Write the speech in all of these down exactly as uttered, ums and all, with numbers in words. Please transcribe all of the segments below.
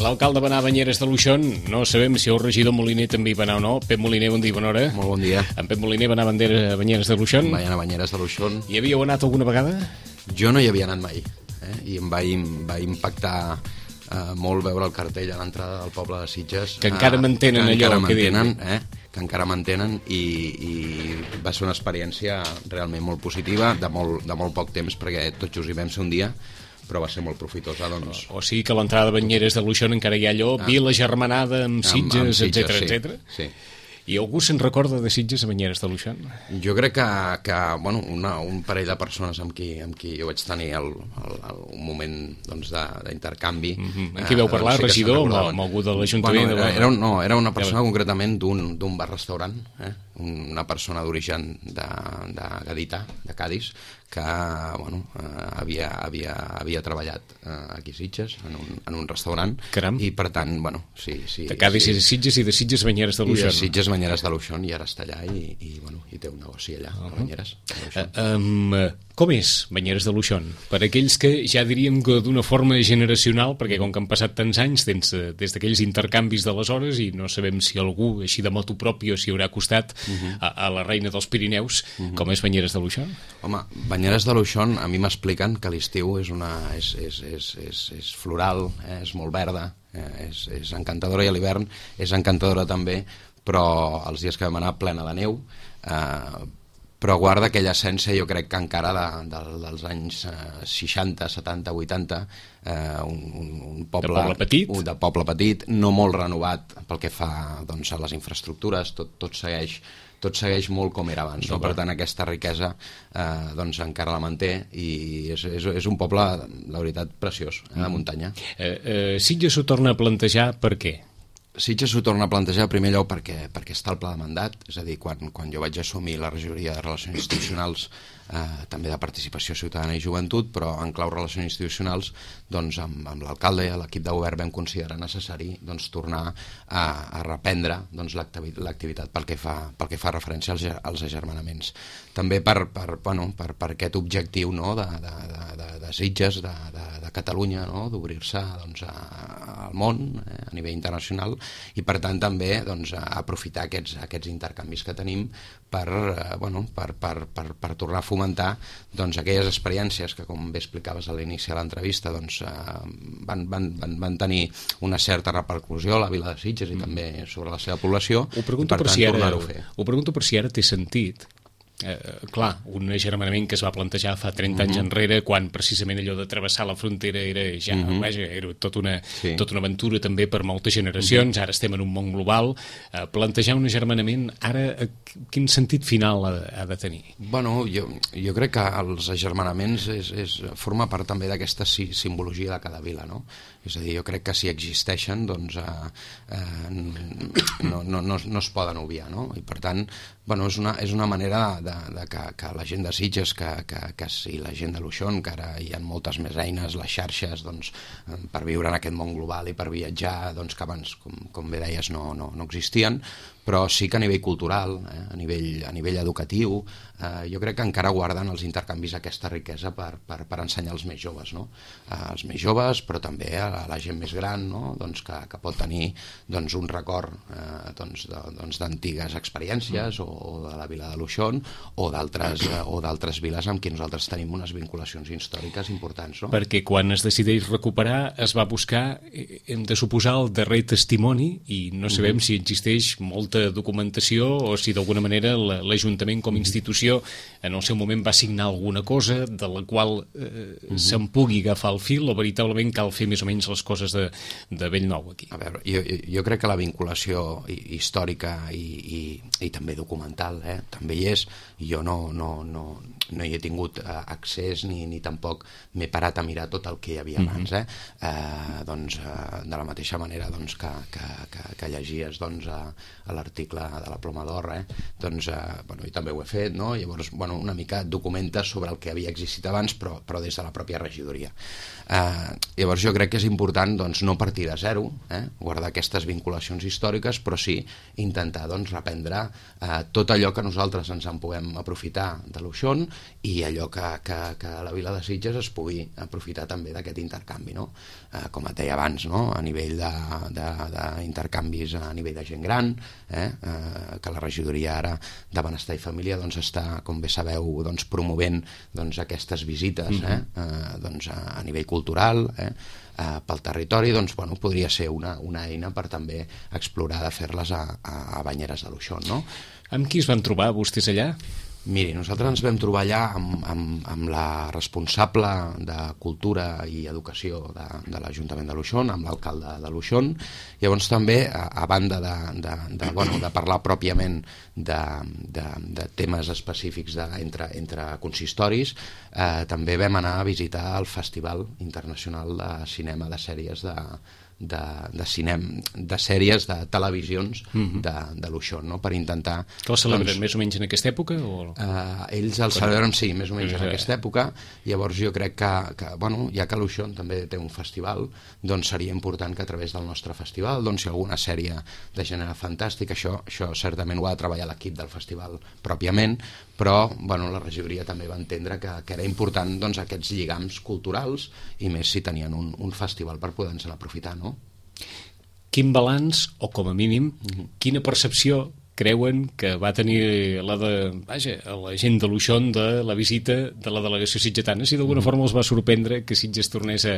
L'alcalde va anar a Banyeres de Luixón. No sabem si el regidor Moliner també hi va anar o no. Pep Moliner, bon dia, bona hora. Molt bon dia. En Pep Moliner va anar a Banyeres de Luixón. Va anar a Banyeres de Luixón. Hi havíeu anat alguna vegada? Jo no hi havia anat mai. Eh? I em va, em va impactar eh, molt veure el cartell a l'entrada del poble de Sitges. Que encara eh, mantenen que allò encara que mantenen, eh? que encara mantenen i, i va ser una experiència realment molt positiva, de molt, de molt poc temps, perquè tots just hi vam ser un dia, però va ser molt profitosa, doncs. O sigui que a l'entrada de Banyeres de Luixón encara hi ha allò, ah. Vila germanada amb Sitges, etcètera, etcètera. Sí, sí. I algú se'n recorda de Sitges a Banyeres de Luixón? Jo crec que, que bueno, una, un parell de persones amb qui, amb qui jo vaig tenir el, el, el, un moment doncs, d'intercanvi. Mm-hmm. En qui veu parlar, eh, regidor, amb, amb algú de l'Ajuntament? Bueno, era, era, no, era una persona concretament d'un bar-restaurant, eh? Una persona d'origen de, de Gadità, de Cadis, que bueno, eh, havia, havia, havia treballat eh, aquí a Sitges, en un, en un restaurant. Caram. I per tant, bueno, sí, sí. De Cadis sí. i de Sitges i de Sitges a Banyeres de Luixón. I de Sitges a Banyeres de Luixón, i ara està allà i, i, bueno, i té un negoci allà, uh -huh. a Banyeres. Uh, um, com és Banyeres de Luixón? Per aquells que ja diríem que d'una forma generacional, perquè com que han passat tants anys des, des d'aquells intercanvis d'aleshores i no sabem si algú així de motu propi o si haurà costat uh -huh. a, a la reina dels Pirineus, uh -huh. com és Banyeres de Luixón? Home, Banyeres de Luixón, a mi m'expliquen que l'estiu és, una, és, és, és, és, és floral, eh, és molt verda, eh, és, és encantadora, i a l'hivern és encantadora també, però els dies que vam anar plena de neu, eh, però guarda aquella essència, jo crec que encara de, de, dels anys eh, seixanta, setanta, vuitanta, eh, un, un, un poble, de poble petit, un, de poble petit, no molt renovat pel que fa doncs, a les infraestructures, tot, tot segueix tot segueix molt com era abans, no? Per tant aquesta riquesa eh, doncs encara la manté, i és, és, és un poble, la veritat, preciós, eh, de muntanya. Eh, eh, Sitges s'ho torna a plantejar per què? Sitges s'ho torna a plantejar, en primer lloc, perquè, perquè està el pla de mandat, és a dir, quan, quan jo vaig assumir la regidoria de Relacions Institucionals, eh, també de Participació Ciutadana i Joventut, però en clau Relacions Institucionals, doncs amb, amb l'alcalde i l'equip de govern vam considerar necessari doncs, tornar a, a reprendre doncs, l'activitat pel que fa, pel que fa referència als, als agermanaments. També per, per, bueno, per, per aquest objectiu, no, de, de, de, de Sitges, de, de, de Catalunya, no, d'obrir-se doncs, a, al món, eh, a nivell internacional, i per tant també doncs, aprofitar aquests, aquests intercanvis que tenim per, eh, bueno, per, per, per, per tornar a fomentar doncs, aquelles experiències que, com bé explicaves a l'inici de l'entrevista, doncs, eh, van, van, van, van tenir una certa repercussió a la vila de Sitges i mm. també sobre la seva població. Ho pregunto, i per per, tant, si ara, ho, fer. ho pregunto per si ara té sentit. Eh, clar, un agermanament que es va plantejar fa trenta uh -huh. anys enrere, quan precisament allò de travessar la frontera era ja, uh -huh. vaja, era tot una, sí. tota una aventura també per moltes generacions. Uh -huh. Ara estem en un món global. Eh, plantejar un agermanament ara, quin sentit final ha, ha de tenir? Bueno, jo, jo crec que els agermanaments és, és, forma part també d'aquesta simbologia de cada vila, no? És a dir, jo crec que si existeixen, doncs eh, eh, no, no, no, no es poden obviar, no? I per tant, bueno, és una, és una manera de, de que, que la gent de Sitges, que, que, que sí, la gent de Luixón, que ara hi ha moltes més eines, les xarxes, doncs, per viure en aquest món global i per viatjar, doncs, que abans, com, com bé deies, no, no, no existien, però sí que a nivell cultural, eh, a, nivell, a nivell educatiu, eh, jo crec que encara guarden els intercanvis aquesta riquesa per, per, per ensenyar als més joves, no? Eh, als més joves, però també a la gent més gran, no? Doncs que, que pot tenir doncs, un record eh, doncs, doncs, d'antigues experiències, o, o de la vila de Luixón, o d'altres eh, o d'altres viles amb qui nosaltres tenim unes vinculacions històriques importants, no? Perquè quan es decideix recuperar es va buscar, hem de suposar, el darrer testimoni, i no sabem uh -huh. si existeix molta documentació o si d'alguna manera l'Ajuntament com a institució en el seu moment va signar alguna cosa de la qual eh, uh -huh. se'n pugui agafar el fil, o veritablement cal fer més o menys les coses de, de bell nou aquí. A veure, jo, jo crec que la vinculació històrica i, i, i també documental eh, també hi és, i jo no, no, no, no hi he tingut eh, accés ni, ni tampoc m'he parat a mirar tot el que hi havia abans, eh? Eh, doncs, eh, de la mateixa manera doncs, que, que, que, que llegies doncs, a, a l'article de la Ploma d'Or, eh? Doncs, eh, bueno, jo també ho he fet, no? Llavors, bueno, una mica documenta sobre el que havia existit abans, però, però des de la pròpia regidoria. Eh, llavors jo crec que és important doncs, no partir de zero, eh? Guardar aquestes vinculacions històriques, però sí així, intentar doncs, reprendre eh, tot allò que nosaltres ens en puguem aprofitar de l'Uixón i allò que, que, que la Vila de Sitges es pugui aprofitar també d'aquest intercanvi, no? Eh, com et deia abans, no? A nivell d'intercanvis a nivell de gent gran, eh? Eh, que la regidoria ara de Benestar i Família doncs, està, com bé sabeu, doncs, promovent doncs, aquestes visites eh? Eh, doncs, a, a nivell cultural, eh? Uh, pel territori, doncs, bueno, podria ser una, una eina per també explorar de fer-les a, a, a Banyeres de l'Uixón, no? Amb qui es van trobar vostès allà? Miri, nosaltres ens vam trobar allà amb, amb, amb la responsable de Cultura i Educació de, de l'Ajuntament de l'Uixón, amb l'alcalde de l'Uixón. Llavors també, a, a banda de, de, de, bueno, de parlar pròpiament de, de, de temes específics de, entre, entre consistoris, eh, també vam anar a visitar el Festival Internacional de Cinema de Sèries de de, de cinema, de sèries de televisions mm-hmm. de, de l'Uixón, no? Per intentar... Que el celebren doncs, més o menys en aquesta època? O... Uh, ells el celebren, sí, més o menys en aquesta època. Llavors jo crec que, que bueno, ja que l'Uixón també té un festival, doncs seria important que a través del nostre festival, doncs si alguna sèrie de gènere fantàstic, això, això certament ho ha de treballar l'equip del festival pròpiament, però bueno, la regidoria també va entendre que, que era important doncs, aquests lligams culturals i més si tenien un, un festival per poder-se'n aprofitar, no? Quin balanç, o com a mínim, mm-hmm. quina percepció creuen que va tenir la, de, vaja, la gent de l'Uixón de la visita de la delegació sitgetana? Si d'alguna mm-hmm. forma els va sorprendre que Sitges tornés a,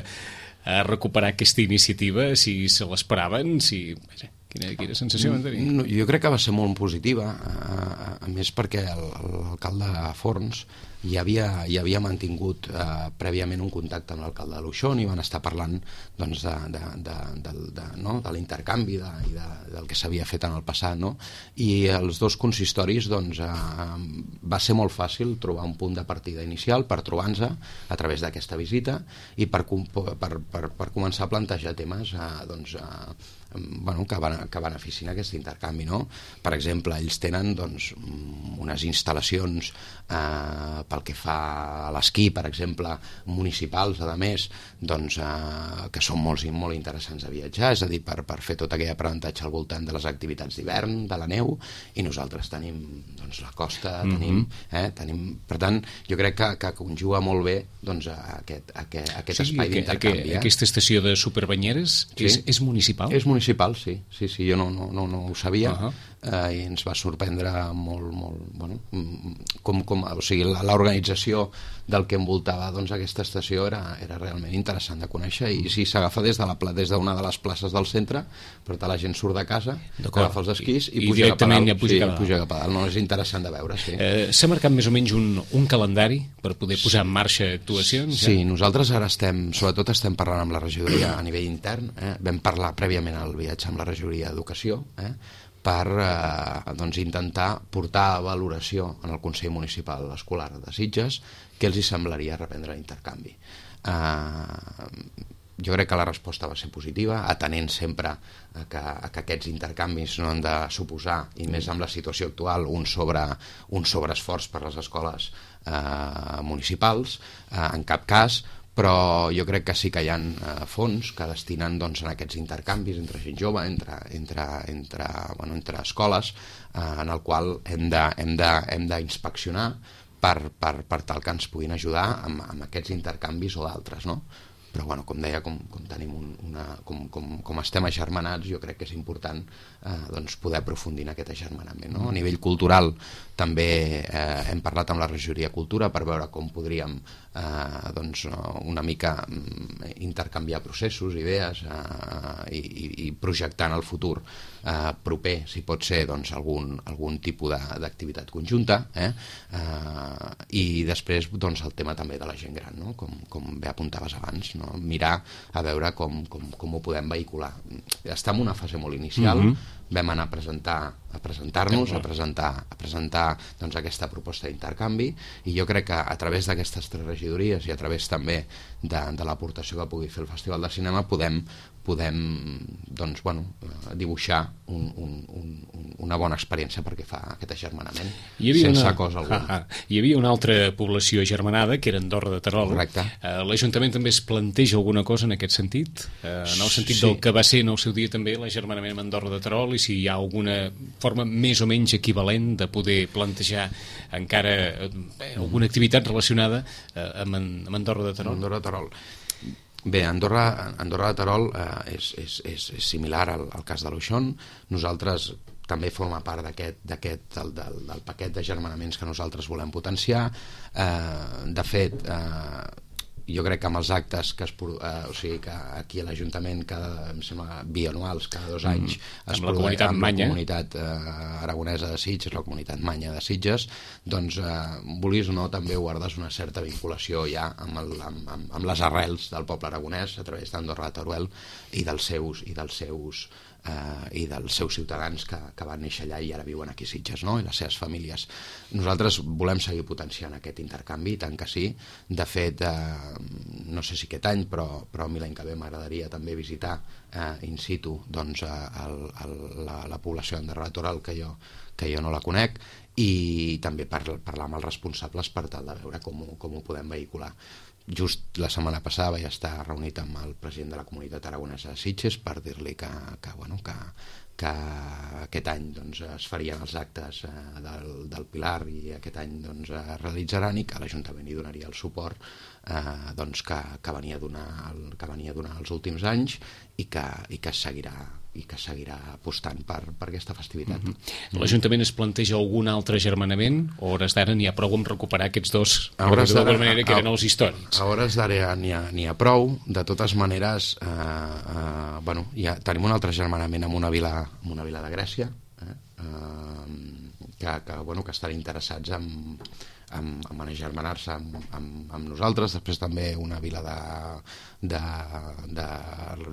a recuperar aquesta iniciativa, si se l'esperaven, si... Vaja, quina, quina sensació van tenir? No, jo crec que va ser molt positiva, a, a més perquè l'alcalde Forns ja havia, ja havia mantingut eh, prèviament un contacte amb l'alcalde de l'Uixón i van estar parlant doncs, de, de, de, de, de, no? de l'intercanvi de, i de, del que s'havia fet en el passat, no? I els dos consistoris doncs, eh, va ser molt fàcil trobar un punt de partida inicial per trobar-nos a través d'aquesta visita i per, per, per, per començar a plantejar temes eh, doncs, eh, bueno, que, van, que beneficien aquest intercanvi, no? Per exemple, ells tenen doncs, unes instal·lacions eh, pel que fa a l'esquí, per exemple, municipals, a més, doncs, eh, que són molt, molt interessants a viatjar, és a dir, per, per fer tot aquell aprenentatge al voltant de les activitats d'hivern, de la neu, i nosaltres tenim doncs, la costa, mm-hmm. tenim, eh, tenim... Per tant, jo crec que, que conjuga molt bé doncs, aquest, aquest, aquest sí, espai d'intercanvi. Eh? Aquesta estació de Superbanyeres sí? és, és municipal? És municipal, sí. Sí, sí, jo no, no, no, no ho sabia. Uh-huh. eh, i ens va sorprendre molt, molt, bueno, com, com, o sigui, l'organització del que envoltava doncs, aquesta estació era, era realment interessant de conèixer i sí, s'agafa des de la, des d'una de les places del centre, per tant la gent surt de casa, agafa els esquís i, I puja cap a dalt. Ja puja, sí, cap a dalt. puja cap a dalt. No, és interessant de veure, sí. Eh, S'ha marcat més o menys un, un calendari per poder posar en marxa actuacions? Sí, ja? Nosaltres ara estem, sobretot estem parlant amb la regidoria a nivell intern, eh? Vam parlar prèviament al viatge amb la regidoria d'Educació, eh? per eh, doncs, intentar portar a valoració en el Consell Municipal Escolar de Sitges què els hi semblaria reprendre l'intercanvi. Eh, jo crec que la resposta va ser positiva, atenent sempre a que, a que aquests intercanvis no han de suposar, i més amb la situació actual, un, sobre, un sobreesforç per les escoles eh, municipals, eh, en cap cas, però jo crec que sí que hi ha eh, fons que destinen doncs, en aquests intercanvis entre gent jove, entre, entre, entre, bueno, entre escoles, eh, en el qual hem de, hem de, hem d'inspeccionar per, per, per tal que ens puguin ajudar amb, amb aquests intercanvis o d'altres, no? Però, bueno, com deia, com, com, tenim un, una, com, com, com estem agermanats, jo crec que és important eh, doncs poder aprofundir en aquest agermanament, no? A nivell cultural també eh, hem parlat amb la regidoria Cultura per veure com podríem eh, doncs, una mica intercanviar processos, idees eh, i, i projectar en el futur eh, proper, si pot ser doncs, algun, algun tipus d'activitat conjunta, eh? Eh, i després doncs, el tema també de la gent gran, no? com, com bé apuntaves abans, no? Mirar a veure com, com, com ho podem vehicular. Està en una fase molt inicial, mm-hmm. vam anar a presentar a presentar-nos, a presentar, a presentar doncs, aquesta proposta d'intercanvi i jo crec que a través d'aquestes tres regidories i a través també de, de l'aportació que pugui fer el Festival de Cinema podem, podem doncs, bueno, dibuixar un, un, un, una bona experiència perquè fa aquest agermanament sense una... cosa alguna. Ah, ah. Hi havia una altra població agermanada, que era Andorra de Terol. Correcte. Uh, L'Ajuntament també es planteja alguna cosa en aquest sentit? Uh, en el sentit sí. del que va ser en el seu dia també l'agermanament amb Andorra de Terol, i si hi ha alguna forma més o menys equivalent de poder plantejar encara eh, alguna activitat relacionada eh, amb, amb Andorra de Terol? Andorra de Terol. Bé, Andorra, Andorra de Terol eh, és, és, és, és similar al, al cas de l'Uixón. Nosaltres també forma part d'aquest del, del, del paquet d'agermanaments que nosaltres volem potenciar. Eh, de fet, eh, jo crec que amb els actes que es, eh, o sigui que aquí a l'Ajuntament cada, em sembla, bianuals, cada dos anys mm, es amb la comunitat amb Manya, la comunitat eh, aragonesa de Sitges, la comunitat Manya de Sitges, doncs eh, vulguis o no també guardes una certa vinculació ja amb, el, amb, amb, amb les arrels del poble aragonès a través d'Andorra de Teruel i dels seus i dels seus eh, i dels seus ciutadans que, que van néixer allà i ara viuen aquí a Sitges, no? I les seves famílies. Nosaltres volem seguir potenciant aquest intercanvi, tant que sí. De fet, eh, no sé si aquest any, però, però a mi l'any que ve m'agradaria també visitar eh, in situ doncs, el, el, la, la població d'Andorra de Terol, que jo, que jo no la conec, i també par, parlar amb els responsables per tal de veure com ho, com ho podem vehicular. Just la setmana passada vaig estar reunit amb el president de la comunitat aragonesa de Sitges per dir-li que, que, bueno, que, que aquest any doncs, es farien els actes eh, del, del Pilar i aquest any doncs, es realitzaran i que l'Ajuntament hi donaria el suport eh, doncs, que, que, venia a donar el, que venia a donar els últims anys i que, i que seguirà i que seguirà apostant per, per aquesta festivitat. Mm-hmm. L'Ajuntament es planteja algun altre agermanament o a hores d'ara n'hi ha prou amb recuperar aquests dos d'alguna manera que eren els històrics? A hores d'ara n'hi ha, ha prou. De totes maneres eh, eh, bueno, ja tenim un altre agermanament amb una vila, amb una vila de Grècia eh, eh, que, que, bueno, que estan interessats en amb, amb agermanar-se amb, amb, amb nosaltres. Després també una vila de, de, de,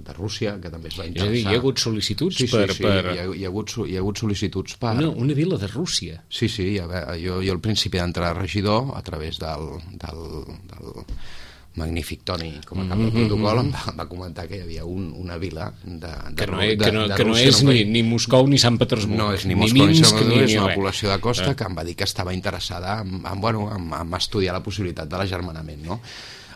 de Rússia que també es va interessar. És a dir, hi ha hagut sol·licituds sí, sí, per... Sí, per... Hi, ha, hi, ha hagut, hi ha hagut sol·licituds per... Una, una vila de Rússia? Sí, sí, ja, jo, jo al principi d'entrar a regidor a través del, del, del magnífic Toni, com a cap del protocol, em va, va comentar que hi havia un, una vila de, de, que no, de, que no, de que no Rússia, és no, ni, ni Moscou ni Sant Petersburg. No és ni, ni Moscou ni Sant Petersburg, és una res. població de costa eh? que em va dir que estava interessada en, en, bueno, en, en estudiar la possibilitat de l'agermanament, no?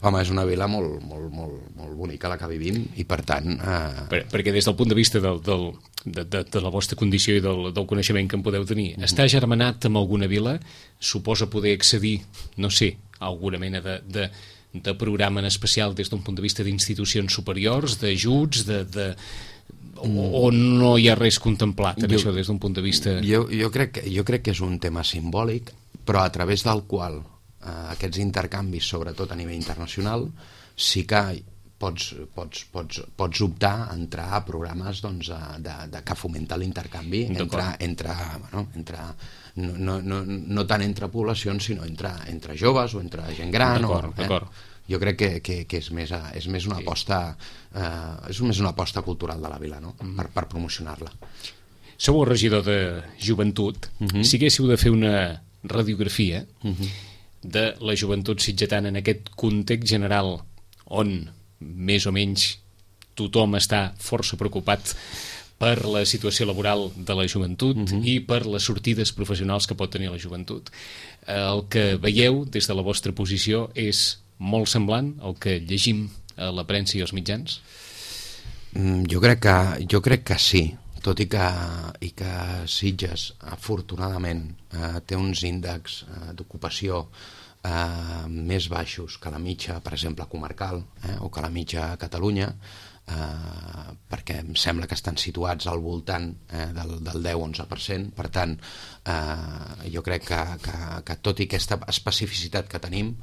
Home, és una vila molt, molt, molt, molt bonica la que vivim i per tant... Eh... Per, perquè des del punt de vista del, del, de, de, de la vostra condició i del, del coneixement que en podeu tenir, mm-hmm. està germanat amb alguna vila? Suposa poder accedir, no sé, a alguna mena de... de de programa en especial des d'un punt de vista d'institucions superiors, d'ajuts, de, de... O, o no hi ha res contemplat en jo, això des d'un punt de vista... Jo, jo, crec que, jo crec que és un tema simbòlic, però a través del qual eh, aquests intercanvis, sobretot a nivell internacional, sí que pots, pots, pots, pots optar a entrar a programes doncs, de, de, que fomenta l'intercanvi entre, entre, bueno, entre no, no, no, no tant entre poblacions, sinó entre, entre joves o entre gent gran. D'acord, o, d'acord. Eh? Jo crec que, que, que és, més, és més una aposta eh, és més una aposta cultural de la vila, no? Mm. per, per promocionar-la. Sou el regidor de joventut. Mm-hmm. Si haguéssiu de fer una radiografia mm-hmm. de la joventut sitgetana en aquest context general on més o menys tothom està força preocupat per la situació laboral de la joventut mm-hmm. i per les sortides professionals que pot tenir la joventut. El que veieu des de la vostra posició és molt semblant al que llegim a la premsa i als mitjans? Mm, jo, crec que, jo crec que sí, tot i que, i que Sitges, afortunadament, eh, té uns índexs eh, d'ocupació eh, més baixos que la mitja, per exemple, comarcal, eh, o que la mitja a Catalunya, Uh, perquè em sembla que estan situats al voltant eh, del, del deu a onze per cent. Per tant, uh, jo crec que, que, que tot i aquesta especificitat que tenim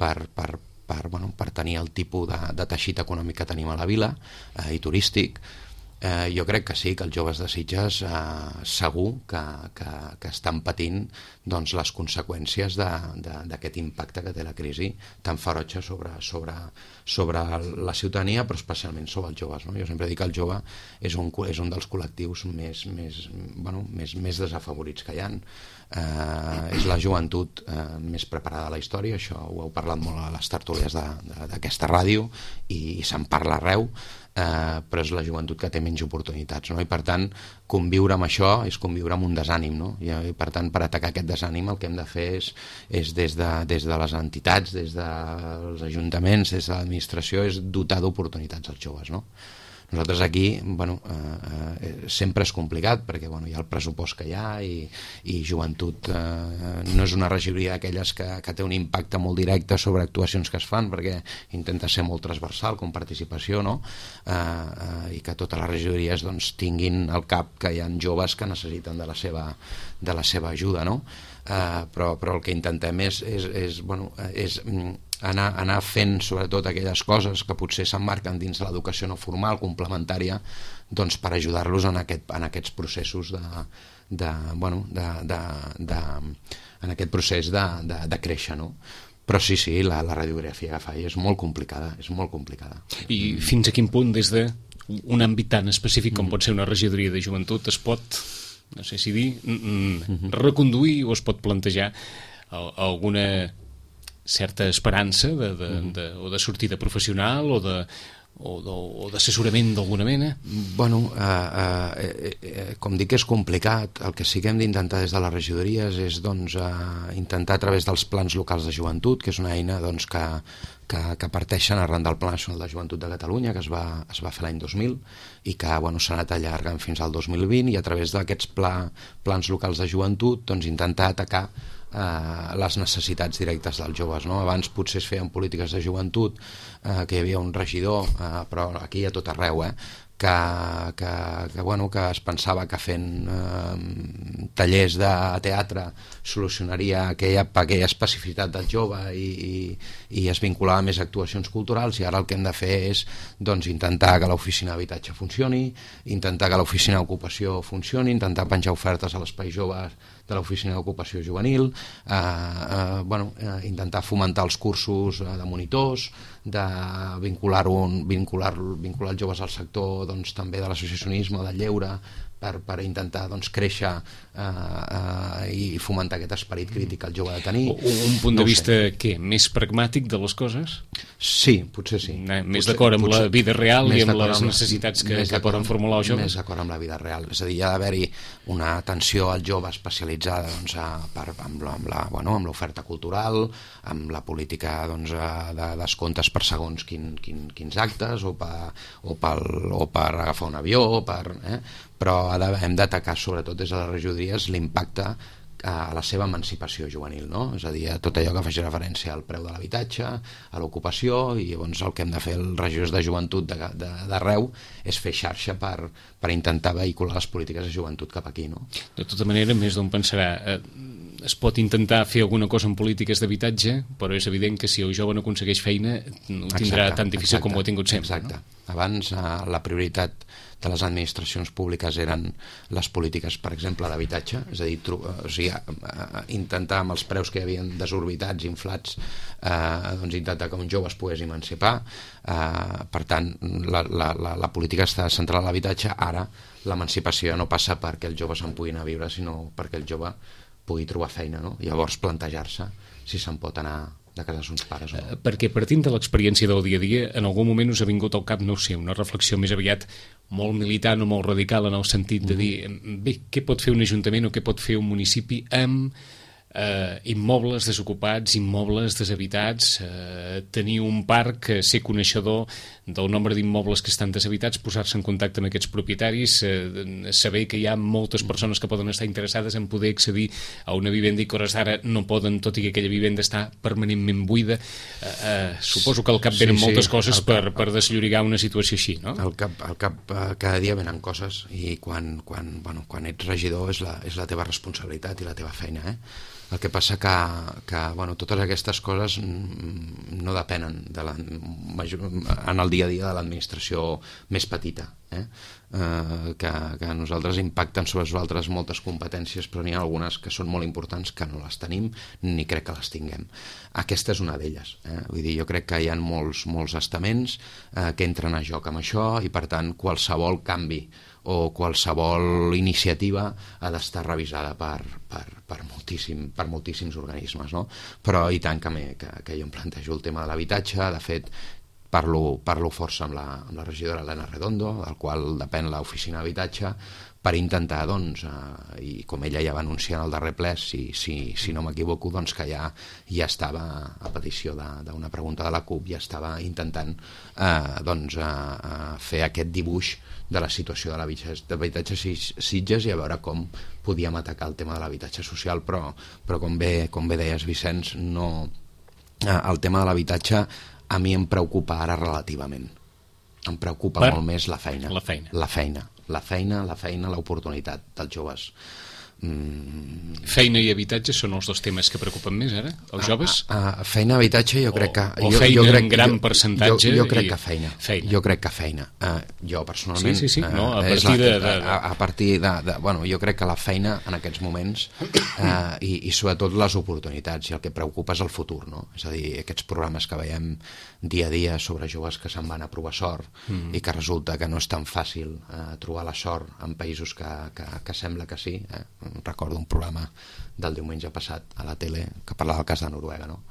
per, per, per, bueno, per tenir el tipus de, de teixit econòmic que tenim a la vila eh, i turístic, eh, jo crec que sí, que els joves de Sitges eh, segur que, que, que estan patint doncs, les conseqüències d'aquest impacte que té la crisi tan ferotge sobre, sobre, sobre la ciutadania, però especialment sobre els joves, no? Jo sempre dic que el jove és un, és un dels col·lectius més, més, bueno, més, més desafavorits que hi ha. Eh, és la joventut eh, més preparada de la història, això ho heu parlat molt a les tertúlies d'aquesta ràdio i, i se'n parla arreu. eh, però és la joventut que té menys oportunitats, no? I per tant conviure amb això és conviure amb un desànim, no? I, i per tant per atacar aquest desànim el que hem de fer és, és des, de, des de les entitats, des dels ajuntaments, des de l'administració, és dotar d'oportunitats als joves, no? Nosaltres aquí, bueno, eh, eh, sempre és complicat perquè bueno, hi ha el pressupost que hi ha i, i joventut eh, no és una regidoria d'aquelles que, que té un impacte molt directe sobre actuacions que es fan perquè intenta ser molt transversal com participació, no? eh, eh, i que totes les regidories doncs, tinguin al cap que hi ha joves que necessiten de la seva, de la seva ajuda, no? eh, però, però el que intentem és, és, és, bueno, és Anar, anar fent sobretot aquelles coses que potser s'emmarquen dins de l'educació no formal, complementària, doncs per ajudar-los en, aquest, en aquests processos de, de, bueno, de, de, de, en aquest procés de, de, de créixer, no? Però sí, sí, la, la radiografia que fa és molt complicada, és molt complicada. I fins a quin punt, des d'un àmbit tan específic com pot ser una regidoria de joventut, es pot, no sé si dir, reconduir o es pot plantejar alguna certa esperança de, de, de, o de sortida professional o de o d'assessorament d'alguna mena? Bueno, eh, eh, eh, com dic, és complicat. El que sí que hem d'intentar des de les regidories és doncs, eh, intentar a través dels plans locals de joventut, que és una eina doncs, que, que, que parteixen arran del Pla Nacional de Joventut de Catalunya, que es va, es va fer l'any dos mil i que bueno, s'ha anat allargant fins al dos mil vint, i a través d'aquests pla, plans locals de joventut doncs, intentar atacar Eh, les necessitats directes dels joves, no? Abans potser es feien polítiques de joventut, eh, que hi havia un regidor, eh, però aquí a tot arreu, eh, que, que, que, bueno, que es pensava que fent eh, tallers de teatre solucionaria aquella, aquella especificitat del jove i, i, i es vinculava més a actuacions culturals, i ara el que hem de fer és doncs, intentar que l'oficina d'habitatge funcioni, intentar que l'oficina d'ocupació funcioni, intentar penjar ofertes a l'espai joves de l'oficina d'ocupació juvenil, eh, eh, bueno, eh, intentar fomentar els cursos eh, de monitors, de vincular-ho vincular, vincular els joves al sector doncs, també de l'associacionisme, del lleure, per, per intentar doncs, créixer eh, eh, i fomentar aquest esperit crític que el jove ha de tenir. Un, un punt no de vista què? Més pragmàtic de les coses? Sí, potser sí. No, més potser, d'acord amb potser, la vida real i amb les amb necessitats que, que poden formular els joves? Més d'acord amb la vida real. És a dir, hi ha d'haver-hi una atenció al jove especialitzada doncs, a, per, amb, la, amb, la, bueno, amb l'oferta cultural, amb la política doncs, de descomptes per segons quin, quin, quins actes o per, o, per, o per agafar un avió, o per, eh? Però hem d'atacar sobretot des de les regidories l'impacte a la seva emancipació juvenil, no? És a dir, a tot allò que faci referència al preu de l'habitatge, a l'ocupació, i llavors el que hem de fer els regidors de joventut d'arreu és fer xarxa per, per intentar vehicular les polítiques de joventut cap aquí, no? De tota manera, més d'on pensarà, eh, es pot intentar fer alguna cosa en polítiques d'habitatge, però és evident que si el jove no aconsegueix feina ho tindrà exacte, tan difícil exacte, com ho ha tingut sempre. Exacte. No? Abans eh, la prioritat de les administracions públiques eren les polítiques, per exemple, d'habitatge, és a dir, o sigui, intentar amb els preus que hi havia desorbitats, inflats, eh, doncs intentar que un jove es pogués emancipar. Eh, per tant, la, la, la, la política està centrada en l'habitatge. Ara l'emancipació no passa perquè els joves se'n puguin anar a viure, sinó perquè el jove pugui trobar feina, no? Llavors plantejar-se si se'n pot anar de casa dels pares o no. Perquè partint de l'experiència del dia a dia, en algun moment us ha vingut al cap, no ho sé, una reflexió més aviat molt militant o molt radical en el sentit de dir, bé, què pot fer un ajuntament o què pot fer un municipi amb eh, immobles desocupats, immobles deshabitats, eh, tenir un parc, eh, ser coneixedor del nombre d'immobles que estan deshabitats, posar-se en contacte amb aquests propietaris, eh, saber que hi ha moltes persones que poden estar interessades en poder accedir a una vivenda i que hores d'ara no poden, tot i que aquella vivenda està permanentment buida. Eh, eh, suposo que al cap venen sí, sí, moltes coses cap, per, per desllorigar una situació així, no? Al cap, al cap eh, cada dia venen coses i quan, quan, bueno, quan ets regidor és la, és la teva responsabilitat i la teva feina, eh? El que passa que, que bueno, totes aquestes coses no depenen de la, en el dia a dia de l'administració més petita, eh? Eh, que, que a nosaltres impacten sobre nosaltres moltes competències, però n'hi ha algunes que són molt importants que no les tenim ni crec que les tinguem. Aquesta és una d'elles, eh? Vull dir, jo crec que hi ha molts, molts estaments eh, que entren a joc amb això i per tant qualsevol canvi o qualsevol iniciativa ha d'estar revisada per, per, per, moltíssim, per moltíssims organismes, no? Però i tant que, me, que, que jo em plantejo el tema de l'habitatge. De fet, parlo, parlo força amb la, amb la regidora Elena Redondo, del qual depèn l'oficina d'habitatge, per intentar, doncs, eh, i com ella ja va anunciar en el darrer ple, si, si, si no m'equivoco, doncs que ja, ja estava, a petició d'una pregunta de la CUP, ja estava intentant eh, doncs, eh, fer aquest dibuix de la situació de l'habitatge Sitges i a veure com podíem atacar el tema de l'habitatge social, però, però com, bé, com bé deies, Vicenç, no, eh, el tema de l'habitatge a mi em preocupa ara relativament. Em preocupa per molt més la feina. La feina. La feina. La feina, la feina, l'oportunitat dels joves. Mm. Feina i habitatge són els dos temes que preocupen més ara, els joves? A, a, a feina, habitatge, jo crec que... O, o jo, feina jo crec, en gran jo, percentatge? Jo, jo crec i... que feina. feina. Jo crec que feina. Uh, jo, personalment... Sí, sí, sí. No, a, uh, partir la, de, de... a, a partir de, de... Bueno, jo crec que la feina en aquests moments uh, i, i sobretot les oportunitats, i el que preocupa és el futur, no? És a dir, aquests programes que veiem dia a dia sobre joves que se'n van a provar sort mm. i que resulta que no és tan fàcil uh, trobar la sort en països que, que, que sembla que sí. Eh? Recordo un programa del diumenge passat a la tele que parlava del cas de Noruega, no?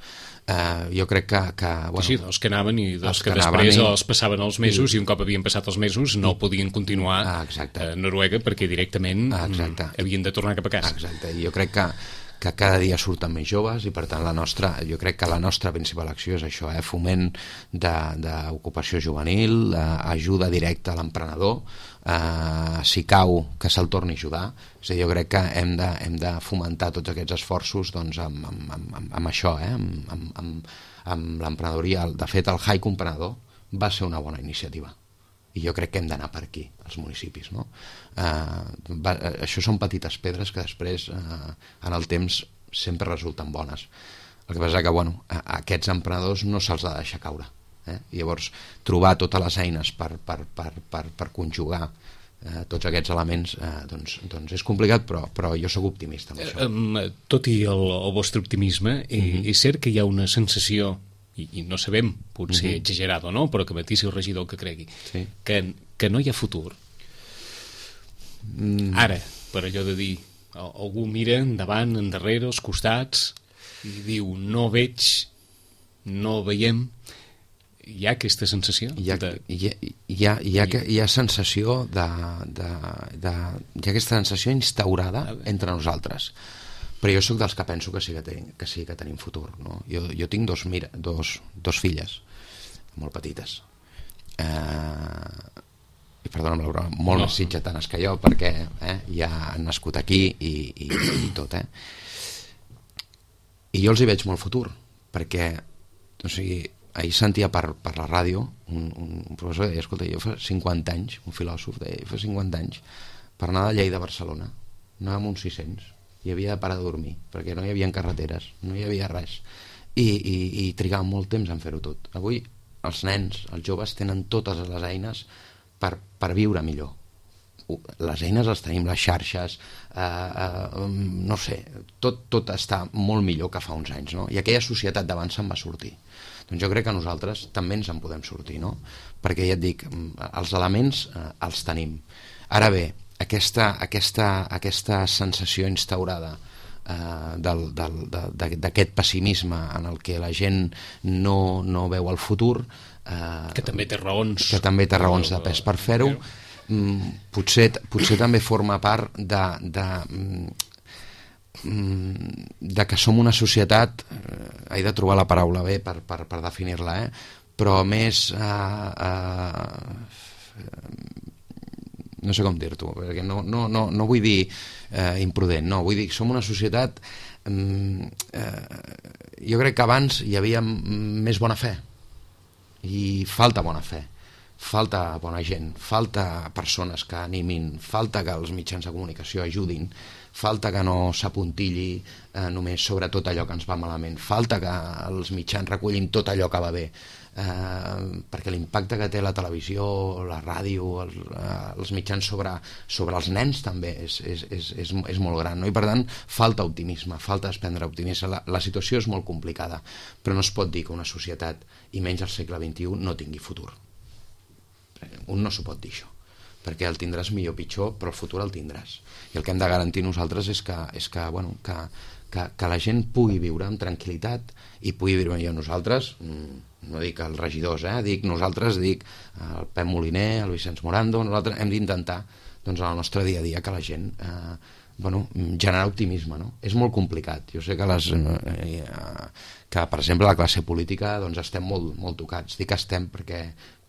Uh, jo crec que... que bueno, sí, dels que anaven i dels que, que després i... els passaven els mesos i, i un cop havien passat els mesos no podien continuar ah, a Noruega perquè directament ah, havien de tornar cap a casa. Exacte, i jo crec que que cada dia surten més joves i per tant la nostra, jo crec que la nostra principal acció és això, eh? Foment d'ocupació juvenil, eh, ajuda directa a l'emprenedor, eh, si cau que se'l torni a ajudar. És a dir, jo crec que hem de, hem de fomentar tots aquests esforços doncs, amb, amb, amb, amb això, eh? amb, amb, amb, amb l'emprenedoria. De fet, el Hike Emprenedor va ser una bona iniciativa i jo crec que hem d'anar per aquí, als municipis, no? Eh, va, això són petites pedres que després, eh, en el temps, sempre resulten bones. El que passa que, bueno, a, a aquests emprenedors no se'ls ha de deixar caure. Eh? I llavors, trobar totes les eines per, per, per, per, per conjugar eh, tots aquests elements, eh, doncs, doncs és complicat, però, però jo sóc optimista amb això. Eh, tot i el, el vostre optimisme, eh, mm-hmm. és cert que hi ha una sensació, i, i no sabem, potser mm-hmm. exagerat o no, però que matís el regidor que cregui, sí. que, que no hi ha futur. Mm. Ara, per allò de dir, algú mira endavant, endarrere, als costats, i diu, no veig, no veiem, hi ha aquesta sensació? Hi ha, de... hi ha, hi ha, hi ha, hi ha sensació de, de, de, hi ha aquesta sensació instaurada entre nosaltres. Però jo sóc dels que penso que sí que, ten, que, sí que tenim futur, no? Jo, jo tinc dos, mira, dos, dos filles molt petites eh, i perdona'm la broma, molt no. més sitgetanes que jo perquè eh, ja han nascut aquí i, i, i tot eh? I jo els hi veig molt futur perquè o sigui, ahir sentia per, per la ràdio un, un professor deia, escolta, jo fa cinquanta anys, un filòsof deia, fa cinquanta anys per anar de Lleida a Barcelona anàvem uns sis-cents i havia de parar de dormir perquè no hi havia carreteres, no hi havia res i, i, i trigàvem molt temps en fer-ho tot. Avui els nens, els joves tenen totes les eines per, per viure millor. Les eines les tenim, les xarxes eh, eh, no sé, tot, tot està molt millor que fa uns anys, no? I aquella societat d'abans se'n va sortir. Doncs jo crec que nosaltres també ens en podem sortir, no? Perquè ja et dic, els elements eh, els tenim. Ara bé, aquesta, aquesta, aquesta sensació instaurada eh, del, del, de, d'aquest pessimisme en el que la gent no, no veu el futur eh, que també té raons que també té raons de pes per fer-ho mm, potser, potser també forma part de, de, mm, de que som una societat eh, he de trobar la paraula bé per, per, per definir-la eh, però més eh, eh, no sé com dir-t'ho, perquè no, no, no, no vull dir eh, imprudent, no, vull dir que som una societat eh, eh, jo crec que abans hi havia més bona fe i falta bona fe, falta bona gent, falta persones que animin, falta que els mitjans de comunicació ajudin, falta que no s'apuntilli eh, només sobre tot allò que ens va malament, falta que els mitjans recullin tot allò que va bé, eh, perquè l'impacte que té la televisió, la ràdio, els, eh, els mitjans sobre, sobre els nens també és, és, és, és, és molt gran, no? I per tant falta optimisme, falta desprendre optimisme. La, la situació és molt complicada, però no es pot dir que una societat, i menys al segle vint-i-u, no tingui futur. Un no s'ho pot dir, això, perquè el tindràs millor o pitjor, però el futur el tindràs. I el que hem de garantir nosaltres és que, és que, bueno, que, que, que la gent pugui viure amb tranquil·litat i pugui viure millor. Nosaltres mm, no dic els regidors, eh? dic nosaltres, dic el Pep Moliner, el Vicenç Morando, nosaltres hem d'intentar doncs, en el nostre dia a dia que la gent eh, bueno, generar optimisme, no? És molt complicat. Jo sé que les eh, que per exemple la classe política doncs estem molt, molt tocats. Dic que estem perquè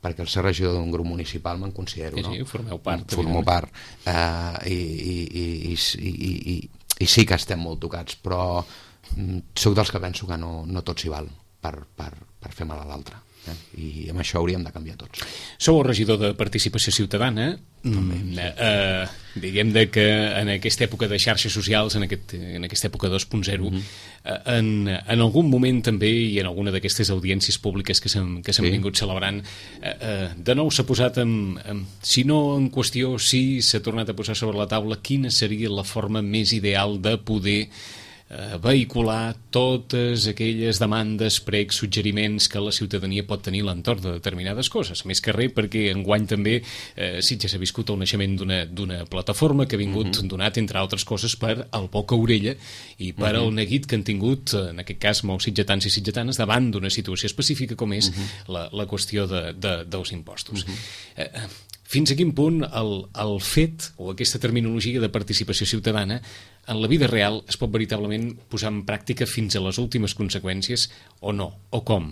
perquè el ser regidor d'un grup municipal me'n considero, no? Sí, sí, formeu part. Formo part. Eh, i, i, i, i, i, i, i sí que estem molt tocats, però sóc dels que penso que no, no tot s'hi val per, per, per fer mal a l'altre. Eh? I amb això hauríem de canviar tots. Sou el regidor de Participació Ciutadana. Mm, eh, diguem de que en aquesta època de xarxes socials, en, aquest, en aquesta època dos punt zero, mm -hmm. eh, en, en algun moment també, i en alguna d'aquestes audiències públiques que s'han que s'han sí. vingut celebrant, eh, eh, de nou s'ha posat en, en, si no en qüestió, sí s'ha tornat a posar sobre la taula quina seria la forma més ideal de poder Eh, vehicular totes aquelles demandes, pregs, suggeriments que la ciutadania pot tenir a l'entorn de determinades coses. Més que res perquè enguany també eh, Sitges ha viscut el naixement d'una plataforma que ha vingut uh -huh. donat, entre altres coses, per el Boca Orella i per uh -huh. el neguit que han tingut, en aquest cas, molts sitgetans i sitgetanes, davant d'una situació específica com és uh -huh. la, la qüestió de, de, dels impostos. Uh -huh. eh, fins a quin punt el, el fet, o aquesta terminologia de participació ciutadana, en la vida real es pot veritablement posar en pràctica fins a les últimes conseqüències o no, o com?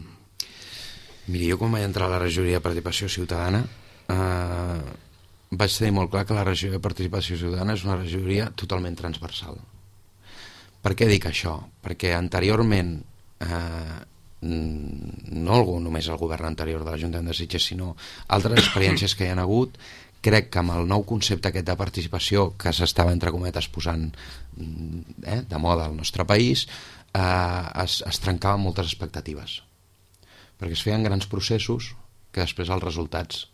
Miri, jo quan vaig entrar a la regidoria de Participació Ciutadana eh, vaig tenir molt clar que la regidoria de Participació Ciutadana és una regidoria totalment transversal. Per què dic això? Perquè anteriorment eh, no només el govern anterior de l'Ajuntament de Sitges, sinó altres experiències que hi ha hagut, crec que amb el nou concepte aquest de participació que s'estava, entre cometes, posant eh, de moda al nostre país, eh, es, es trencaven moltes expectatives. Perquè es feien grans processos que després els resultats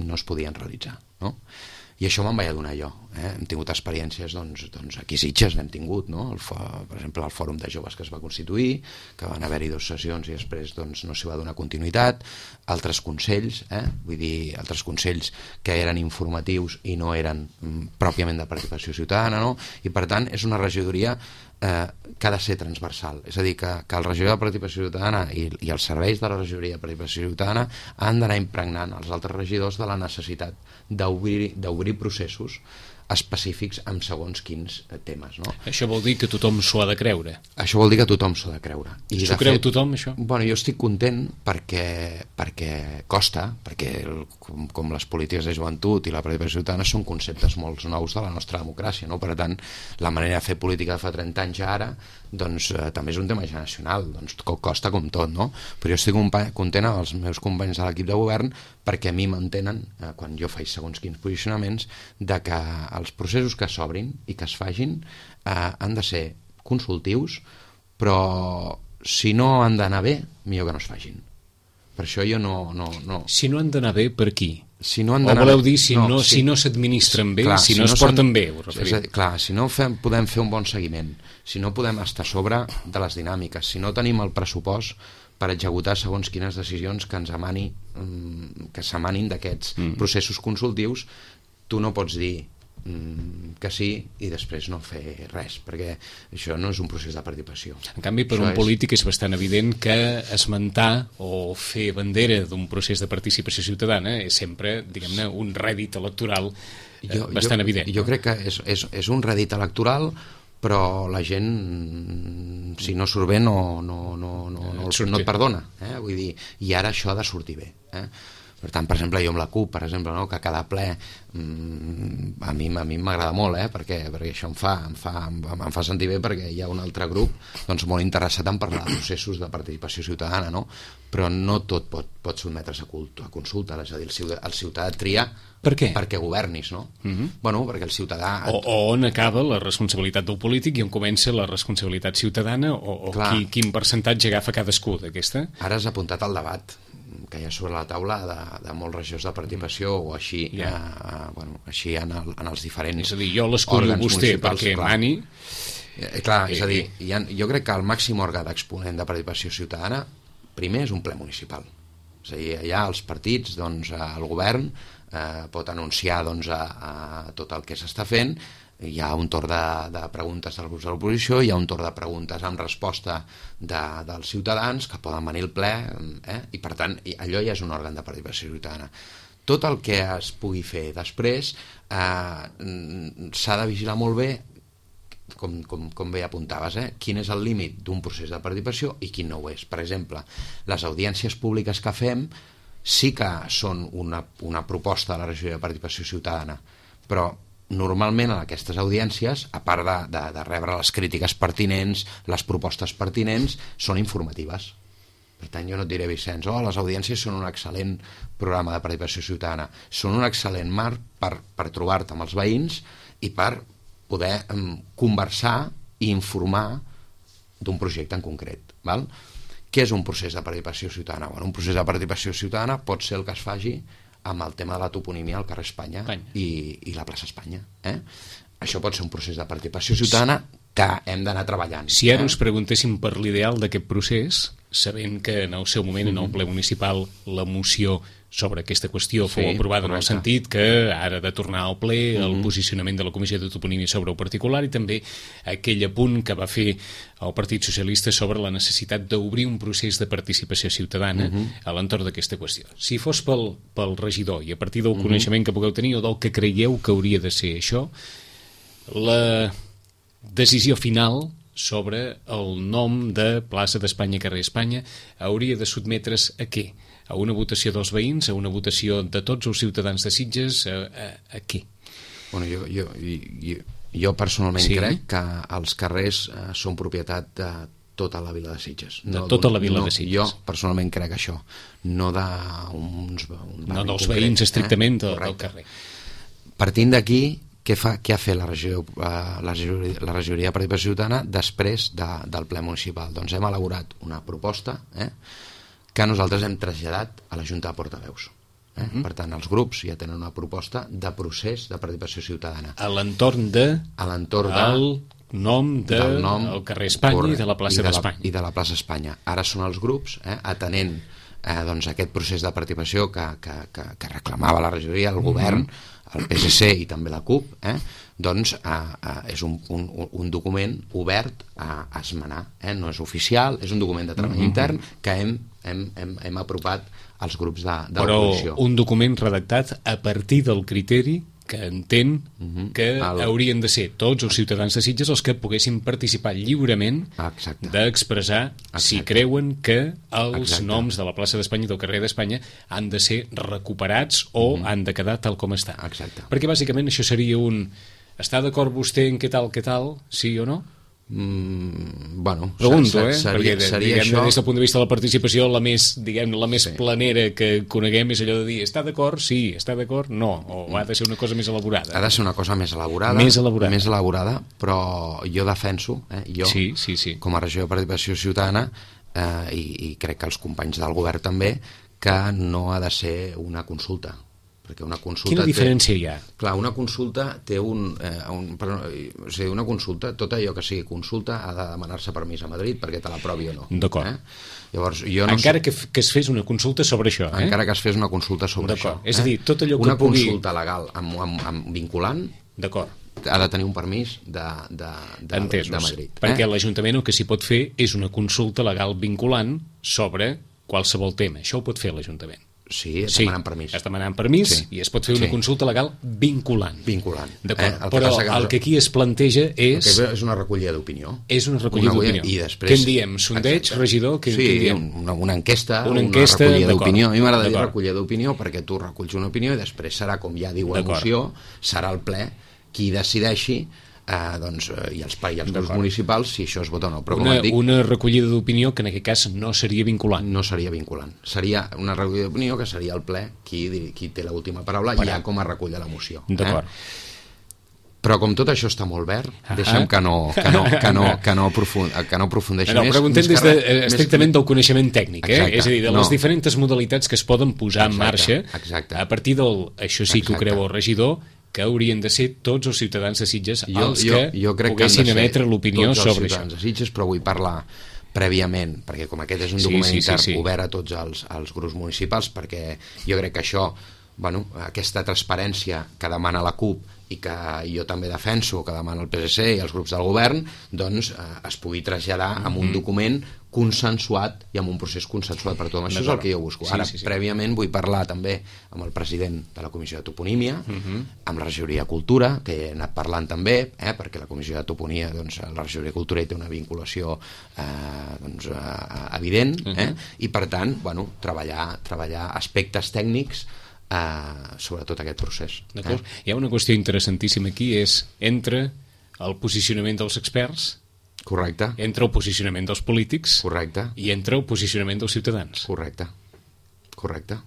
no es podien realitzar, no? I això me'n vaig adonar jo. Eh? Hem tingut experiències, doncs, doncs aquí a Sitges n'hem tingut, no? El, per exemple, el Fòrum de Joves que es va constituir, que van haver-hi dues sessions i després doncs, no s'hi va donar continuïtat, altres consells, eh? Vull dir, altres consells que eren informatius i no eren mm, pròpiament de participació ciutadana, no? I per tant és una regidoria eh, que ha de ser transversal, és a dir, que, que el regidor de participació ciutadana i, i els serveis de la regidoria de participació ciutadana han d'anar impregnant els altres regidors de la necessitat d'obrir d'obrir processos específics amb segons quins temes, no? Això vol dir que tothom s'ho ha de creure? Això vol dir que tothom s'ho ha de creure. S'ho creu fet, tothom, això? Bueno, jo estic content perquè, perquè costa, perquè el, com, com les polítiques de joventut i la participació ciutadana són conceptes molt nous de la nostra democràcia, no? Per tant, la manera de fer política de fa trenta anys a ara, doncs eh, també és un tema generacional, doncs costa com tot, no? Però jo estic content amb els meus companys de l'equip de govern perquè a mi m'entenen, eh, quan jo faig segons quins posicionaments, de que els processos que s'obrin i que es fagin eh, han de ser consultius, però si no han d'anar bé, millor que no es fagin. Per això jo no... no, no... Si no han d'anar bé, per qui? Si no han o voleu dir si no, no, si, si no s'administren bé, clar, si, si no, no es porten bé, us referiu? Dir, clar, si no fem, podem fer un bon seguiment, si no podem estar a sobre de les dinàmiques, si no tenim el pressupost per executar segons quines decisions que ens emani, que s'emanin d'aquests mm. processos consultius, tu no pots dir que sí i després no fer res, perquè això no és un procés de participació. En canvi, per això un és... polític és bastant evident que esmentar o fer bandera d'un procés de participació ciutadana és sempre, diguem-ne, un rèdit electoral jo, bastant jo, evident. Jo no? crec que és, és, és un rèdit electoral, però la gent, si no surt bé, no, no, no, no, no, no et perdona. Eh? Vull dir, i ara això ha de sortir bé. Eh? Per tant, per exemple, jo amb la CUP, per exemple, no, que cada ple mmm, a mi a mi m'agrada molt, eh, perquè, perquè això em fa, em, fa, em, em fa sentir bé perquè hi ha un altre grup doncs, molt interessat en parlar de processos de participació ciutadana, no? Però no tot pot, pot sotmetre's a, cult, a consulta, és a dir, el ciutadà, el ciutadà tria per què? perquè governis, no? Uh-huh. Bueno, perquè el ciutadà... O, o on acaba la responsabilitat del polític i on comença la responsabilitat ciutadana, o, o qui, quin percentatge agafa cadascú d'aquesta? Ara has apuntat al debat que hi ha sobre la taula de, de molts regidors de participació o així, yeah. eh, bueno, així en, el, en els diferents és a dir, jo l'escollo vostè perquè clar. mani eh, clar, és a dir, hi ha, jo crec que el màxim òrgan d'exponent de participació ciutadana primer és un ple municipal, és a dir, allà els partits, doncs el govern eh, pot anunciar doncs, a, a tot el que s'està fent hi ha un torn de, de preguntes dels grups de l'oposició, hi ha un torn de preguntes amb resposta de, dels ciutadans que poden venir al ple, eh? I per tant allò ja és un òrgan de participació ciutadana. Tot el que es pugui fer després eh, s'ha de vigilar molt bé, com, com, com bé apuntaves, eh? Quin és el límit d'un procés de participació i quin no ho és. Per exemple, les audiències públiques que fem sí que són una, una proposta de la regió de participació ciutadana, però normalment en aquestes audiències, a part de, de, de rebre les crítiques pertinents, les propostes pertinents, són informatives. Per tant, jo no et diré, Vicenç, oh, les audiències són un excel·lent programa de participació ciutadana, són un excel·lent marc per, per trobar-te amb els veïns i per poder um, conversar i informar d'un projecte en concret, val? Què és un procés de participació ciutadana? Bueno, un procés de participació ciutadana pot ser el que es faci amb el tema de la toponímia al carrer Espanya, Espanya. I, i la plaça Espanya. Eh? Això pot ser un procés de participació ciutadana que hem d'anar treballant. Si ara eh? us preguntéssim per l'ideal d'aquest procés, sabent que en el seu moment, en el ple municipal, la moció sobre aquesta qüestió sí, fou aprovada, correcte, en el sentit que ara de tornar al ple el uh -huh. posicionament de la Comissió de Toponímia sobre el particular i també aquell apunt que va fer el Partit Socialista sobre la necessitat d'obrir un procés de participació ciutadana uh -huh. a l'entorn d'aquesta qüestió. Si fos pel, pel regidor i a partir del uh -huh. coneixement que pugueu tenir o del que creieu que hauria de ser això, la decisió final sobre el nom de plaça d'Espanya, carrer Espanya, hauria de sotmetre's a què? A una votació dels veïns, a una votació de tots els ciutadans de Sitges, a, a, a què? Bueno, jo, jo, jo, jo personalment sí? crec que els carrers eh, són propietat de tota la vila de Sitges. De no tota la vila no, de Sitges. Jo personalment crec això, no d'uns... No dels veïns estrictament eh? del carrer. Partint d'aquí, què, fa, què ha fet la, regió, eh, la, regió, la regidoria de participació ciutadana després de, del ple municipal? Doncs hem elaborat una proposta eh, que nosaltres hem traslladat a la Junta de Portaveus. Eh? Uh-huh. Per tant, els grups ja tenen una proposta de procés de participació ciutadana. A l'entorn de... A l'entorn de... El nom de del nom, el carrer Espanya correcte, i de la plaça d'Espanya. I de la plaça Espanya. Ara són els grups, eh, atenent eh, doncs aquest procés de participació que, que, que, que reclamava la regidoria, el govern, uh-huh. el P S C i també la CUP, eh, doncs eh, eh, és un, un, un document obert a, a esmenar. Eh? No és oficial, és un document de treball uh-huh. intern que hem, hem, hem, hem apropat als grups de, de l'oposició. Però un document redactat a partir del criteri que entén uh-huh. que el... haurien de ser tots els ciutadans de Sitges els que poguessin participar lliurement d'expressar si creuen que els Exacte. noms de la plaça d'Espanya i del carrer d'Espanya han de ser recuperats o uh-huh. han de quedar tal com està. Exacte. Perquè bàsicament això seria un... Està d'acord vostè en què tal, què tal, sí o no? Mm, bueno, pregunto, eh? seria, perquè seria diguem, això... des del punt de vista de la participació la més, diguem, la més sí. planera que coneguem és allò de dir, està d'acord? Sí, està d'acord? No, o ha de ser una cosa més elaborada? Ha de ser una cosa més elaborada, més elaborada, més elaborada però jo defenso, eh, jo, sí, sí, sí. com a regió de participació ciutadana eh, i, i crec que els companys del govern també, que no ha de ser una consulta. Perquè una consulta Quina diferència té, hi ha? Clar, una consulta té un... Eh, un però, o sigui, una consulta, tot allò que sigui consulta ha de demanar-se permís a Madrid perquè te l'aprovi o no. D'acord. Eh? Llavors, jo no encara sé... que, que es fes una consulta sobre això, eh? Encara que es fes una consulta sobre això. Eh? És a dir, tot allò que una pugui... consulta legal amb, amb, amb vinculant ha de tenir un permís de, de, de, Entesos, de Madrid. Perquè eh? l'Ajuntament el que s'hi pot fer és una consulta legal vinculant sobre qualsevol tema. Això ho pot fer l'Ajuntament. Sí, es sí, demanant permís. es demanant permís sí. i es pot fer una sí. consulta legal vinculant. Vinculant. D'acord, eh? Però que el que aquí es planteja és... El que és una recollida d'opinió. És una recollida d'opinió. I després... Què en diem? Sondeig, Exacte. regidor? Què, sí, què en diem? Una, una enquesta, una, enquesta, una recollida d'opinió. A mi m'agrada dir recollida d'opinió perquè tu reculls una opinió i després serà, com ja diu la moció, serà el ple qui decideixi Eh, doncs, eh, i els, i els grups municipals si això es vota o no. Però, una, com dic, una recollida d'opinió que en aquest cas no seria vinculant. No seria vinculant. Seria una recollida d'opinió que seria el ple qui, qui té l'última paraula i ja com es recull la moció. D'acord. Eh? Però com tot això està molt verd, ah deixa'm que no, que no, que no, que no, aprofund, que no aprofundeixi no, més. Preguntem des de, eh, estrictament més... del coneixement tècnic, eh? És a dir, de les no. diferents modalitats que es poden posar exacte, en marxa exacte. a partir del, això sí que ho creu el regidor, que haurien de ser tots els ciutadans de Sitges jo, els que jo, jo poguessin emetre l'opinió sobre això. De Sitges, però vull parlar prèviament, perquè com aquest és un document sí, sí, intern sí, sí. obert a tots els, els grups municipals, perquè jo crec que això, bueno, aquesta transparència que demana la CUP i que jo també defenso, que demana el P S C i els grups del govern, doncs eh, es pugui traslladar mm-hmm. amb un document consensuat i amb un procés consensuat per tothom. Això és el que jo busco. Ara, sí, sí, sí. prèviament, vull parlar també amb el president de la Comissió de Toponímia, uh-huh. amb la regidoria de Cultura, que he anat parlant també, eh, perquè la Comissió de Toponímia, doncs, la regidoria de Cultura hi té una vinculació eh, doncs, eh, evident, eh, uh-huh. i per tant, bueno, treballar, treballar aspectes tècnics eh, sobre tot aquest procés. D'acord. Eh? Hi ha una qüestió interessantíssima aquí, és entre el posicionament dels experts, correcte, entre el posicionament dels polítics, correcte, i entre el posicionament dels ciutadans. Correcte, correcte.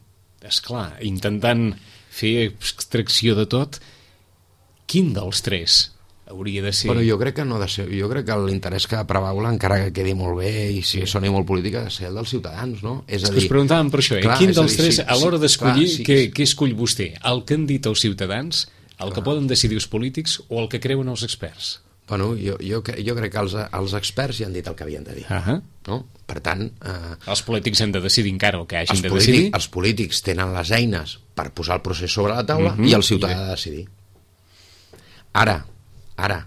Esclar, intentant fer extracció de tot, quin dels tres hauria de ser? Bueno, jo crec que no ha de ser, jo crec que l'interès que prevaula, encara que quedi molt bé i si soni molt política, ha de ser el dels ciutadans, no? És a dir, us preguntàvem per això, eh? clar, Quin dels dir, tres, sí, a l'hora sí, d'escollir, clar, sí, què, sí. què escull vostè? El que han dit els ciutadans, el clar. que poden decidir els polítics o el que creuen els experts? Bueno, jo, jo, jo crec que els, els experts ja han dit el que havien de dir. Uh-huh. No? Per tant... Eh, els polítics han de decidir encara el que hagin els de polític, decidir. Els polítics tenen les eines per posar el procés sobre la taula uh-huh. i el ciutadà ha de decidir. Ara, ara,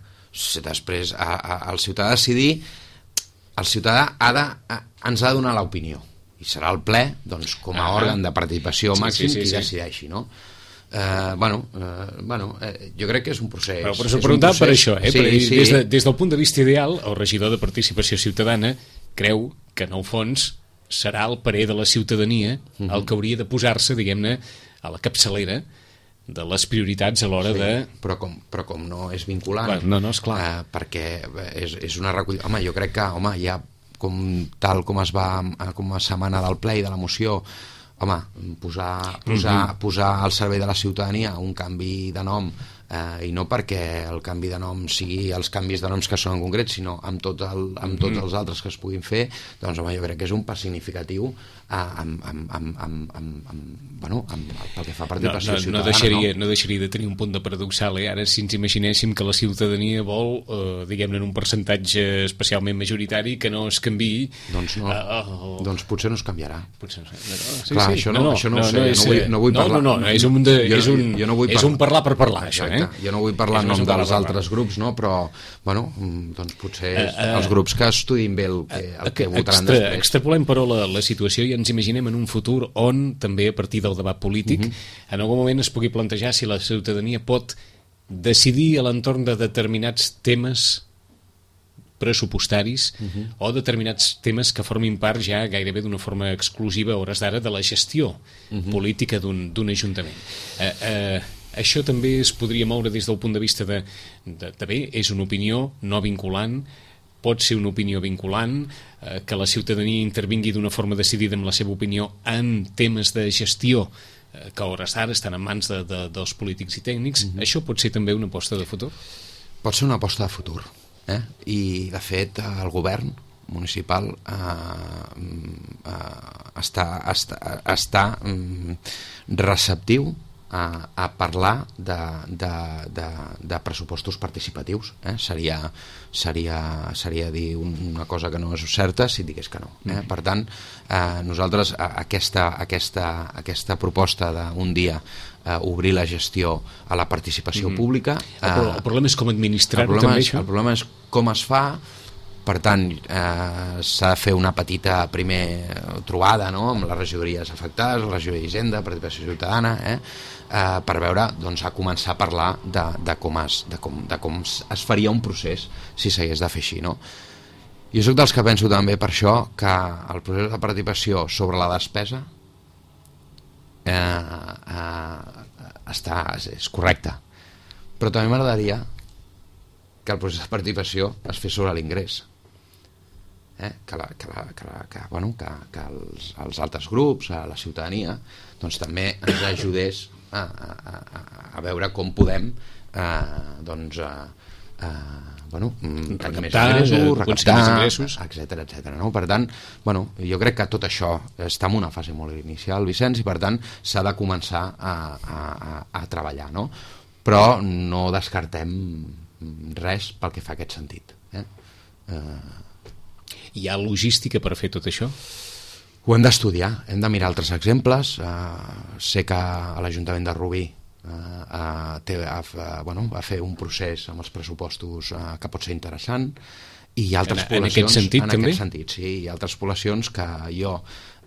després a, a, el ciutadà ha de decidir, el ciutadà ha de, a, ens ha de donar l'opinió. I serà el ple, doncs, com a uh-huh. òrgan de participació sí, màxim, sí, sí, qui sí. decideixi, no? Uh, bueno, uh, bueno uh, jo crec que és un procés. Però, però s'ho preguntava per això, eh? Sí, per, sí. Des, de, des del punt de vista ideal, el regidor de Participació Ciutadana creu que, en el fons, serà el parer de la ciutadania uh-huh. el que hauria de posar-se, diguem-ne, a la capçalera de les prioritats a l'hora sí, de... Però com, però com no és vinculant... Clar, no, no, esclar. Uh, perquè és, és una recollida... Home, jo crec que, home, ja com tal com es va, com a setmana del ple i de la moció, home, posar, posar, mm-hmm. posar al servei de la ciutadania un canvi de nom, eh, i no perquè el canvi de nom sigui els canvis de noms que són en concret, sinó amb, tot el, amb tots els altres que es puguin fer, doncs home, jo crec que és un pas significatiu eh, amb, amb, amb, amb, amb, amb, bueno, amb, pel que fa a participació no, no, ciutadana. No deixaria, no? no deixaria de tenir un punt de paradoxal, eh? Ara, si ens imaginéssim que la ciutadania vol, eh, diguem-ne, en un percentatge especialment majoritari, que no es canviï... Doncs no, uh, oh. doncs potser no es canviarà. Potser no, no, sí, Clar, sí. això no, no, això no, no, ho sé, no, és, no, vull, no vull no, parlar... No, no, no, és un, de, jo, és un, jo no vull és un parlar per parlar, això, eh? Jo no vull parlar en nom dels altres grups, no? Però, bueno, doncs potser uh, uh, els grups que estudin bé el que, el que votaran extra, després. Extrapolem, però, la, la situació i ens imaginem en un futur on, també a partir del debat polític, uh-huh. en algun moment es pugui plantejar si la ciutadania pot decidir a l'entorn de determinats temes pressupostaris uh-huh. o determinats temes que formin part ja gairebé d'una forma exclusiva a hores d'ara de la gestió uh-huh. política d'un ajuntament. Eh, eh, això també es podria moure des del punt de vista de, de, de bé, és una opinió no vinculant, pot ser una opinió vinculant, eh, que la ciutadania intervingui d'una forma decidida amb la seva opinió en temes de gestió eh, que a hores d'ara estan en mans de, de, dels polítics i tècnics. Uh-huh. Això pot ser també una aposta de futur? Pot ser una aposta de futur. Eh? I, de fet, el govern municipal eh, eh, està, està, està mm, receptiu a, a parlar de, de, de, de pressupostos participatius. Eh? Seria, seria, seria dir una cosa que no és certa si digués que no. Eh? Per tant, eh, nosaltres aquesta, aquesta, aquesta proposta d'un dia Uh, obrir la gestió a la participació mm-hmm. pública. Uh, el, el problema és com administrar-ho també, és, això? El problema és com es fa, per tant, eh, s'ha de fer una petita primer trobada, no?, amb les regidories afectades, la regidoria d'Hisenda, participació ciutadana, eh, eh, per veure, doncs, a començar a parlar de, de, com es, de, com, de com es faria un procés si s'hagués de fer així, no? Jo soc dels que penso també per això que el procés de participació sobre la despesa Eh, eh, està, és correcte, però també m'agradaria que el procés de participació es fes sobre l'ingrés, eh? que, la, que, la, que, la, que, bueno, que, que els, els altres grups, a la ciutadania, doncs també ens ajudés a, a, a, a veure com podem eh, doncs a, a, bueno, tenir més ingressos, recaptar, etcètera, etcètera, no? Per tant, bueno, jo crec que tot això està en una fase molt inicial, Vicenç, i per tant s'ha de començar a, a, a, a treballar, no? Però no descartem res pel que fa a aquest sentit. Eh? Eh... Hi ha logística per fer tot això? Ho hem d'estudiar, hem de mirar altres exemples. Eh, sé que a l'Ajuntament de Rubí a, a, a, a, bueno, a fer un procés amb els pressupostos a, que pot ser interessant, i hi ha altres en, poblacions... En aquest sentit, en també? En aquest sentit, sí. Hi ha altres poblacions que jo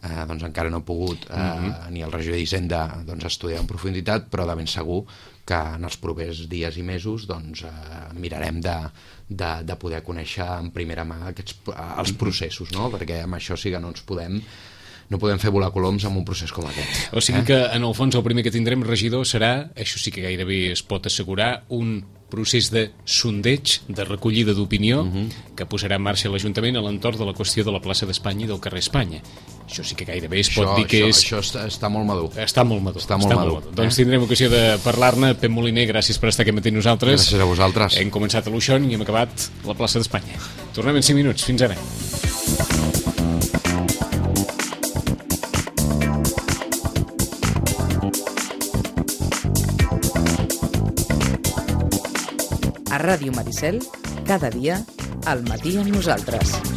eh, doncs encara no he pogut, eh, mm-hmm. ni el regidor d'Hisenda, doncs, estudiar en profunditat, però de ben segur que en els propers dies i mesos doncs, eh, mirarem de, de, de poder conèixer en primera mà aquests, els processos, no? Perquè amb això sí que no ens podem no podem fer volar coloms amb un procés com aquest. O sigui eh? que, en el fons, el primer que tindrem, regidor, serà, això sí que gairebé es pot assegurar, un procés de sondeig, de recollida d'opinió, uh-huh. que posarà en marxa l'Ajuntament a l'entorn de la qüestió de la plaça d'Espanya i del carrer Espanya. Això sí que gairebé es pot això, dir que això, és... Això està, està molt madur. Està molt madur. Està molt està madur. Molt madur. Eh? Doncs tindrem ocasió de parlar-ne. Pep Moliner, gràcies per estar aquí matí nosaltres. Gràcies a vosaltres. Hem començat a l'Uixón i hem acabat la plaça d'Espanya. Tornem en cinc minuts. Fins ara. A Ràdio Maricel, cada dia, al matí amb nosaltres.